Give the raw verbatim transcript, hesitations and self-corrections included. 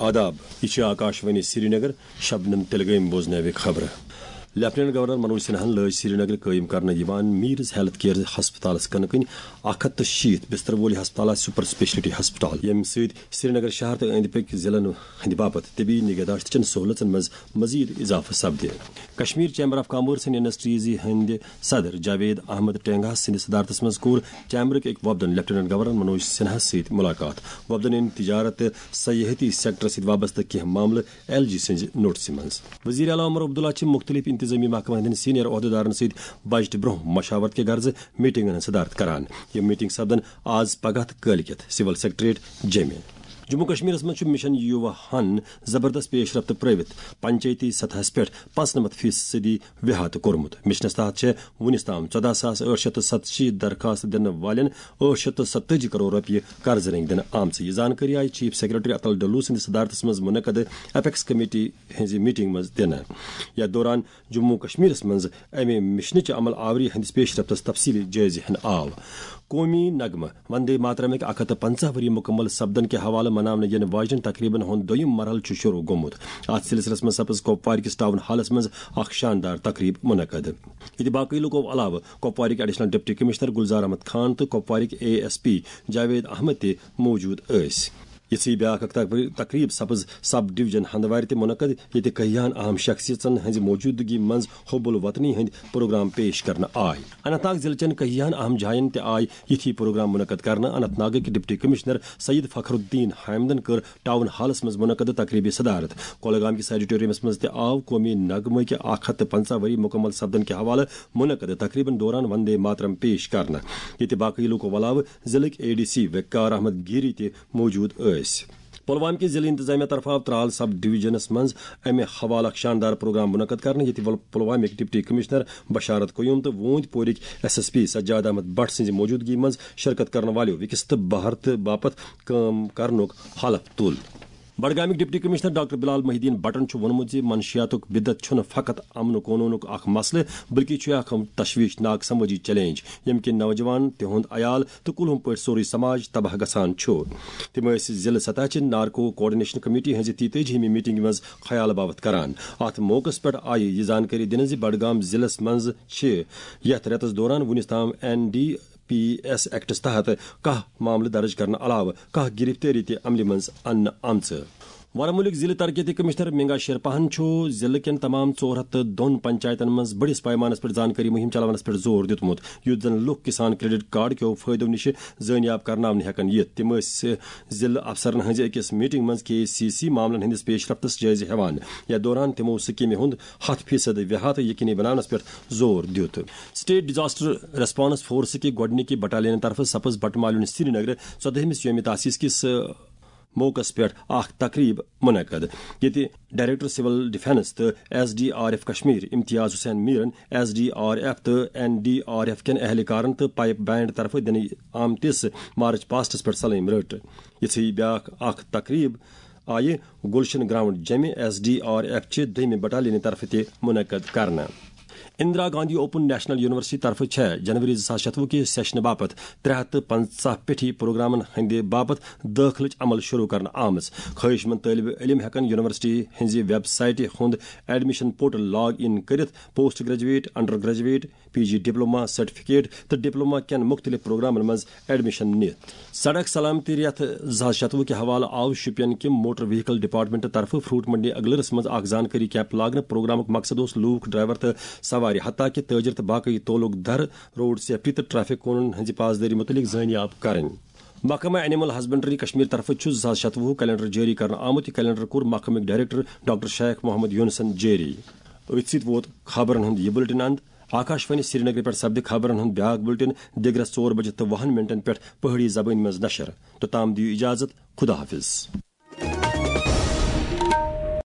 آداب، یہِ چھِ آکاشوانی سرینگر، شبنم تلگٲمۍ بوزنٲوِ خبرٕ۔ لیفٹیننٹ گورنر منوج سنہاہن لٲج سرینگرٕ قٲیِم کرنہٕ یِوان میٖرز ہیلتھ کیئر ہسپتالس کٕنہٕ کٕنۍ اکھ ہتھ تہٕ شیٖتھ بستر وول یہِ ہسپتال آسہِ سپر اسپیشلٹی ہسپتال، ییٚمہِ سۭتۍ سرینگر شہر تہٕ أنٛدۍ پٔکۍ ضلعن ہٕنٛدِ باپتھ طبی نگہداشتٕچن سہولژن منٛز مزید اضافہٕ سپدِ۔ Kashmir chamber of commerce and industries ہٕنٛدِ صدر جاوید احمد ٹینگاہس سٕنٛدِ صدارتس منٛز کوٚر چیمبرٕکۍ أکۍ وفدن لیفٹیننٹ گورنر منوج سنہاہس سۭتۍ ملاقات۔ وفدن أنۍ تجارت تہٕ سیاحتی سیکٹرس سۭتۍ وابستہٕ کینٛہہ معاملہٕ ایل جی سٕنٛزِ نوٹسہِ منٛز۔ وزیر اعلیٰ عمر عبداللہ چھِ مختلف انتظامی محکمن ہٕنٛدٮ۪ن سینئر عہدیدارن سۭتۍ بجٹ برونٛہہ مشاورت کہِ غرضہٕ میٹنگن ہٕنٛز صدارت کران۔ یِم میٹنگ سپدن آز پگاہ تہٕ کٲلۍ کٮ۪تھ سول سیکرٹریٹ جیمہِ۔ جموں کشمیرس منٛز چھُ مشن یووا ہن زبردست پیش رفت پرٲوِتھ پنچایتی سطحس پٮ۪ٹھ پانٛژنمتھ فیصدی ویہات کوٚرمُت۔ مشنس تحت چھےٚ وُنِس تام ژۄداہ ساس ٲٹھ شیٚتھ تہٕ ستشیٖتھ درخواست دِنہٕ والٮ۪ن ٲٹھ شیٚتھ تہٕ ستتٲجی کرور رۄپیہِ قرضہٕ رٔنگۍ دِنہٕ آمژٕ۔ یہِ زانکٲری آیہِ چیف سیکرٹری اتل ڈلو سٕنٛدِس صدارتس منٛز منعقد اپیکس کمیٹی ہٕنٛزِ میٹنگ منٛز دِنہٕ۔ یتھ دوران جموں و کشمیرس منٛز امہِ مشنٕچہِ عمل آوری ہٕنٛدِس پیش رفتس تفصیلی جٲیزٕ ہن آو۔ قومی نغمہٕ وندے ماترمٕکۍ اکھ ہتھ تہٕ پنژاہ ؤری مکمل سپدن کہِ حوالہٕ مناونہٕ یِنہٕ واجٮ۪ن تقریبن ہُنٛد دوٚیِم مرحلہٕ چھُ شروع گوٚمُت۔ اتھ سلسلس منٛز سپٕز کۄپوارِ کِس ٹاؤن ہالس منٛز اکھ شاندار تقریب منعقد، ییٚتہِ باقٕے لوٗکو علاوٕ کۄپوارٕکۍ additional deputy commissioner Gulzar Ahmad Khan تہٕ کۄپوارٕکۍ A S P Javed Ahmad تہِ موجود ٲسۍ۔ یِژھٕے بیٛاکھ اکھ تقری-، تقریب سپٕز سب ڈویژن ہندوارِ تہِ منعقد، ییٚتہِ کہیاہن اہم شخصیژن ہٕنٛزِ موجودگی منٛز حب الوطنی ہٕنٛدۍ پروگرام پیش کرنہٕ آے۔ اننت ناگ ضلعہٕ چٮ۪ن کہیاہن اہم جاین تہِ آے یِتھی پروگرام منعقد کرنہٕ۔ اننت ناگٕکۍ ڈپٹی کمشنر سید فخر الدین حامدن کٔر ٹاؤن ہالس منٛز منعقد تقریبہِ صدارت۔ کولگام کِس آڈیٹورمس منٛز تہِ آو قومی نغمہٕ کہِ اکھ ہتھ تہٕ پنژاہ ؤری مکمل سپدن کہِ حوالہٕ منعقد تقریبن دوران وندے ماترم پیش کرنہٕ، ییٚتہِ باقٕے لوٗکو علاوٕ ضلعٕکۍ اے ڈی سی وقار احمد گیری تہِ موجود ٲسۍ۔ پلوامہ کہِ ضلعہٕ انتظامیہ طرفہٕ آو ترال سب ڈویژنس منٛز امہِ حوالہٕ اکھ شاندار پروگرام منعقد کرنہٕ، ییٚتہِ ول-، پلوامٕکۍ ڈپٹی کمشنر بشارت قیوم تہٕ ووٗنۍ پورٕکۍ S S P Sajad Ahmad Bhat سٕنٛزِ موجودگی منٛز شرکت کرن والٮ۪و وِکسِت بھارت باپتھ کٲم کرنُک حلف تُل۔ بڈگامٕکۍ ڈپٹی کمشنر ڈاکٹر بلال محی الدین بٹن چھُ ووٚنمُت زِ منشیاتُک بدعت چھُنہٕ فقط امن و قونوٗنُک اکھ مسلہٕ، بلکہِ چھُ اکھ تشویشناک سمٲجی چیلنج، ییٚمہِ کِنۍ نوجوان، تِہُنٛد عیال تہٕ کُلہُم پٲٹھۍ سورُے سماج تباہ گژھان چھُ۔ تِم ٲسۍ ضلعہٕ سطح چہِ نارکو کوآرڈینیشن کمیٹی ہٕنٛزِ تیتٲجی ہِمہِ میٹنگہِ منٛز خیال باوتھ کران۔ اتھ موقعس پٮ۪ٹھ آیہِ یہِ زانکٲری دِنہٕ زِ بڈگام ضلعس منٛز چھِ یتھ رٮ۪تس دوران وُنِس تام N D P S acts تحت کاہ معاملہٕ درج کرنہٕ علاوٕ کاہ گرفتٲری تہِ عملہِ منٛز اننہٕ آمژٕ۔ ورمُلٕکۍ ضلعہٕ ترقیتی کمشنر مینگا شیرپاہن چھُ ضلعہٕ کٮ۪ن تمام ژور ہتھ تہٕ دۄن پنچایتن منٛز بٔڑِس پیمانس پٮ۪ٹھ زانکٲری مُہِم چلاونس پٮ۪ٹھ زور دیُتمُت، یُتھ زن لُکھ کسان کریڈٹ کارڈ کیو فٲیدو نِش زٲنیاب کرناونہٕ ہٮ۪کن یِتھ۔ تِم ٲسۍ ضلعہٕ افسرن ہٕنٛزِ أکِس میٹنگ منٛز کے سی سی معاملن ہٕنٛدِس پیش رفتس جٲیزٕ ہٮ۪وان۔ یتھ دوران تِمو سکیمہِ ہُنٛد ہتھ فیصد ویہات یقینی بناونس پٮ۪ٹھ زور دیُت۔ اسٹیٹ ڈیزاسٹر ریسپانس فورس کہِ گۄڈٕنِکہِ بٹالینہٕ طرفہٕ سپٕز بٹہٕ مالیُن سرینگرٕ ژۄدہمِس یومِ تاسیس کِس موقعس پٮ۪ٹھ اکھ تقریب منعقد، ییٚتہِ ڈائریکٹر سول ڈیفنس تہٕ S D R F Kashmir Imtiyaz Hussain میرن ایس ڈی آر ایف تہٕ این ڈی آر ایف کٮ۪ن اہلکارن تہٕ پائپ بینڈ طرفہٕ دِنہٕ آمتِس مارچ پاسٹس پٮ۪ٹھ سلٲمۍ رٔٹ۔ یِژھٕے بیاکھ اکھ تقریب آیہِ گلشن گراؤنڈ جیمہِ ایس ڈی آر ایف چہِ دوٚیمہِ بٹالینہِ طرفہٕ تہِ منعقد کرنہٕ۔ Indira Gandhi open national university طرفہٕ چھےٚ جنوری زٕ ساس شتوُہ کہِ سیشنہٕ باپتھ ترٛےٚ ہتھ تہٕ پنٛژاہ پیٹھی پروگرامن ہٕنٛدِ باپتھ دٲخلٕچ عمل شروع کرنہٕ آمٕژ۔ خٲہِش مند طٲلبہِ علم ہٮ۪کن یونیورسٹی ہٕنٛزِ ویب سایٹہِ ہُنٛد ایڈمیشن پورٹل لاگ اِن کٔرِتھ post graduate, under graduate, P G diploma certificate تہٕ ڈپلوما کٮ۪ن مُختٔلِف پروگرامن منٛز ایڈمیشن نِتھ۔ سڑک سلامتی رٮ۪تھ زٕ ساس شتوُہ کہِ حوالہٕ آو شوپین کہِ موٹر وہیکل ڈپارٹمنٹ طرفہٕ فروٹ منڈی اگلرس منٛز اکھ زانکٲری کیمپ لاگنہٕ۔ پروگرامُک مقصد اوس لوٗکھ، ڈرائیور تہٕ سوارِ، حتیٰ کہِ تٲجر تہٕ باقٕے تعلق دار روڈ سیفٹی تہٕ ٹریفک قونوٗنن ہٕنٛزِ پاسدٲری مُتعلق زٲنیاب کرٕنۍ۔ محکمہ اینیمل ہسبنڈری کشمیر طرفہٕ چھُ زٕ ساس شتوُہ کیلنڈر جٲری کرنہٕ آمُت۔ یہِ کیلنڈر کوٚر محکمٕکۍ ڈائریکٹر ڈاکٹر شیخ محمد یونسن جٲری۔ أتھۍ سۭتۍ ووت خبرن ہُنٛد یہِ بُلٹن اند۔ آکاشوانی سرینگرٕ پٮ۪ٹھ سپدِ خبرن ہُنٛد بیاکھ بُلٹن دِگرس ژور بجہِ تہٕ وُہن منٹن پٮ۪ٹھ پہٲڑی زبٲنۍ منٛز نشر۔ توٚتام دِیِو اجازت، خدا حافظ۔